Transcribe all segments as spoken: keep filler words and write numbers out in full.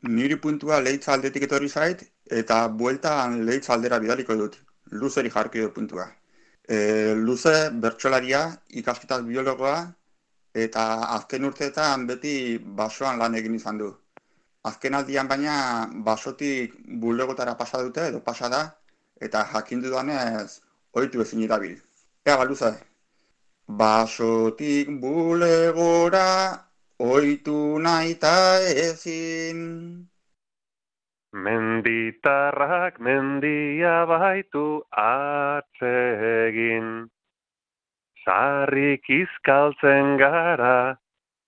Niri puntua Leitz aldetik etorri zait, eta bueltan Leitz aldera bidaliko dut. Luzeri jarki dut puntua. E, Luze bertsolaria, ikasketak biologoa, eta azken urteetan beti basoan lan egin izan du. Azken aldian baina basotik bulegotara pasa dute, edo pasa da, eta jakin dudanez ohitu ezin irabil. Ea, ba, Luze, basotik bulegora ohitu naita ezin. Menditarrak mendia baitu atsegin. Sarrik izkaltzen gara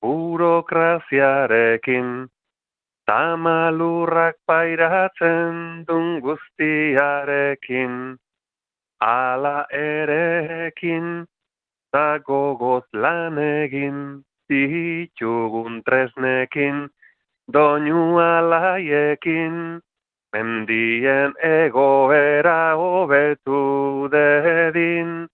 burokraziarekin. Tamalurrak pairatzen dun guztiarekin. Ala erekin, da gogoz lan egin, ditugun tresnekin, doinu alaiekin, mendien egoera hobetu dedin,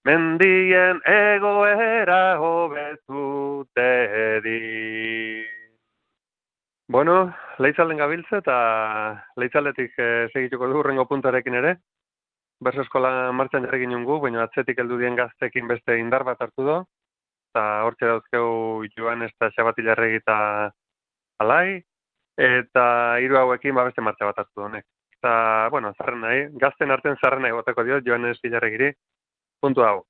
mendien egoera hobetu dedin. Bueno, Leitzalden gabiltze eta Leitzaldetik eh, segituko du hurrengo puntarekin ere. Berso eskola martxan jarri ginen gu, baina atzetik heldu dien gaztekin beste indar bat hartu do. Eta hortxe dauzkeu Joan eta Xabatilarregi eta Alai. Eta hiru hauekin ba beste martxa bat hartu honek. Eta, bueno, zarren nahi, gazten artean zarren nahi goteko diot Joanes Ilarregiri. Puntu hau.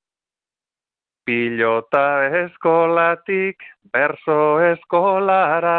Pilota eskolatik, berso eskolara.